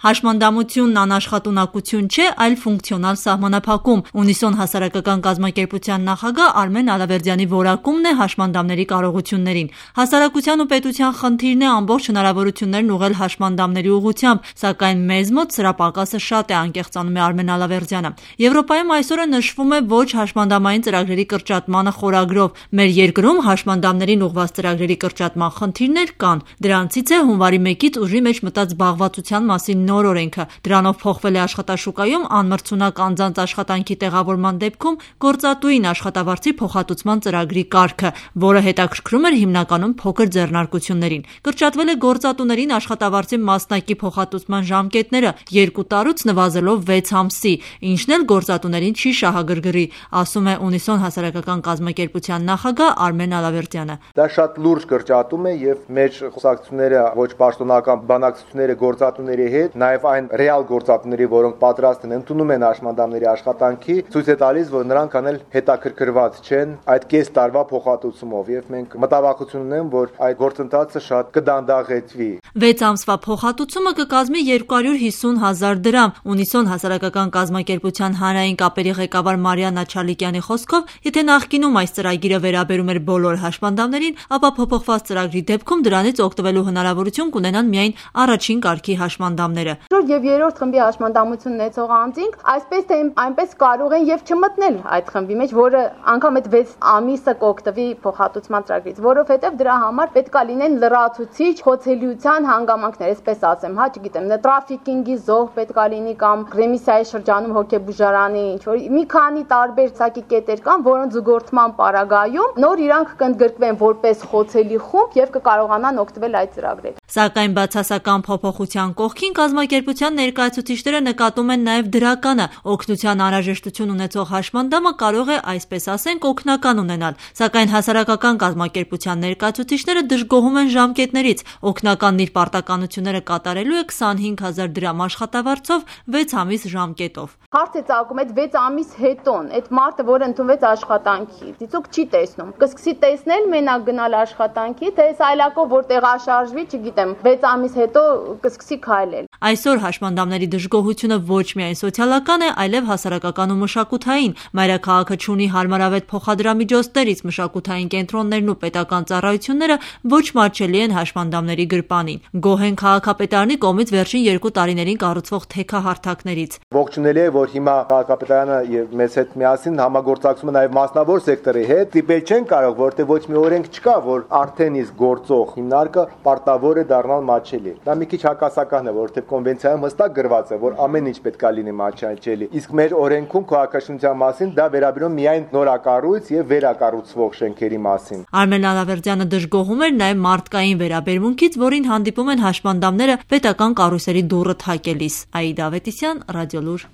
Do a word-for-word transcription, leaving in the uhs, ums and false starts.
Հաշմանդամությունն անաշխատունակություն չէ, այլ ֆունկցիոնալ սահմանափակում։ Ունիսոն հասարակական կազմակերպության նախագահ Արմեն Ալավերդյանի որակումն է հաշմանդամների կարողություններին։ Հասարակության ու պետության խնդիրն է ամբողջ հնարավորություններն ուղղել հաշմանդամների ուղղությամբ, սակայն մեզ մոտ սրա պակասը շատ է, անկեղծանում է Արմեն Ալավերդյանը։ Եվրոպայում այսօրը նշվում է ոչ հաշմանդամային ծրագրերի կրճատմանը խորագրով։ Մեր երկրում հաշմանդամներին ուղղված ծրագրերի կրճատման խնդիրներ կան։ Դրանցից է հունվարի մեկից ուժի մեջ մտած զբաղվածության մասին նոր օրենքը։ Դրանով փոխվել է աշխատաշուկայում անմրցունակ անձանց աշխատանքի տեղավորման դեպքում գործատուին աշխատավարձի փոխհատուցման ծրագրի կարգը, որը հետաքրքրում էր հիմնականում փոքր ձեռնարկություններին։ Կրճատվել է գործատուներին աշխատավարձի մասնակի փոխհատուցման ժամկետները երկու տարուց նվազելով վեց ամսի, ինչն էլ գործատուներին չի շահագրգռի, ասում է Ունիսոն հասարակական կազմակերպության նախագահ Արմեն Ալավերդյանը։ Դա շատ լուրջ կրճատում է եւ մեր խոսակցությունները ոչ պաշտոնական բանակցությունները գործատուների հետ, նաեւ այն ռեալ գործատուների, որոնք պատրաստ են ընդունում են հաշմանդամների աշխատանքի, ցույց է տալիս, որ նրանք անել հետաքրքրված չեն այդ կես տարվա փոխհատուցումով եւ մենք մտավախություն ունենք, որ այդ գործընթացը շատ կդանդաղեցվի։ վեց ամսվա փոխհատուցումը կկազմի երկու հարյուր հիսուն հազար դրամ։ Ունիսոն հասարակական կազմակերպության հանրային կապերի ղեկավար Մարիաննա Չալիկյանի խոսքով, եթե նախկինում այս ծրագիրը վերաբերում էր բոլոր հաշմանդամներին, ապա փոփոխված ծրագրի դեպքում դրանից օգտվելու հնարավորություն կունենան միայն առաջին կարգի հաշմանդամները։ Եվ երրորդ խմբի հաշմանդամություն ունեցող անձինք այսպես թե այնպես կարող են եւ չմտնել այդ խմբի մեջ, որը անգամ այդ վեց ամիսը կօգտվի փոխհատուցման ծրագրից, որովհետեւ դրա համար պետք է լինեն լրացուցիչ խոցելիության հանգամանքներ, այսպես ասեմ, հա, չգիտեմ, տրաֆիկինգի զոհ պետք է լինի կամ ռեմիսիայի շրջանում հոգեբուժարանի ինչ որ մի քանի տարբեր ցակի կետեր կան, որոնց զուգորդման պարագայում նոր իրանք կընդգրկվեն որպես խոցելի խումբ եւ կկարողանան օգտվել այդ ծրագրերից։ Սակայն բացասական փոփոխության կողքին կազմակերպության ներկայացուցիչները նկատում են նաև դրականը։ Օգնության անհրաժեշտություն ունեցող հաշմանդամը կարող է, այսպես ասենք, օգնական ունենալ, սակայն հասարակական կազմակերպության ներկայացուցիչները դժգոհում են ժամկետներից։ Օգնականն իր պարտականությունները կատարելու է քսանհինգ հազար դրամ աշխատավարձով վեց ամիս ժամկետով։ Հարց է ծագում այդ վեց ամիս հետոն, այդ մարդը, որը ընդունվեց աշխատանքի, դիցուք չի տեսնում։ Կսկսի տեսնել մենակ գնալ աշխատանքի, թե սայլակով որ տեղաշարժվի, չգիտեմ, վեց ամիս հետո կսկսի քայլել։ Այսօր հաշմանդամների դժգոհությունը ոչ միայն սոցիալական է, այլև հասարակական ու մշակութային։ Մայրաքաղաքը չունի հարմարավետ փոխադրամիջոցներ, իսկ մշակութային կենտրոններն ու պետական ծառայությունները ոչ մատչելի են հաշմանդամների գրպանին։ Գոհ են քաղաքապետարանի կողմից վերջին երկու տարիներին կառուցվող թեքահարթակներից։ Ողջունելի է, որ հիմա քաղաքապետարանը եւ մեզ հետ միասին համագործակցում է նաեւ մասնավոր սեկտորի հետ։ Դիպել չեն կարող, որտեղ ոչ մի օրենք չկա, որ արդեն իսկ գործող հիմնարկը պարտավոր է դառնալ մատչելի։ Դա մի քիչ հակասական է, որտեղ կոնվենցիայում հստակ գրված է, որ ամեն ինչ պետք է լինի մատչելի։ Իսկ մեր օրենքում քաղաքաշինության մասին դա վերաբերում միայն նորակառույց եւ վերակառուցվող շենքերի մասին։ Արմեն Ալավերդյանը դժգոհում էր նաեւ մարդկային վերաբերմունքից, որին հանդիպում են հաշմանդամները պետական կառույցերի դուռը թակելիս։ Աիդա Ավետիսյան, Ռադիոլուր։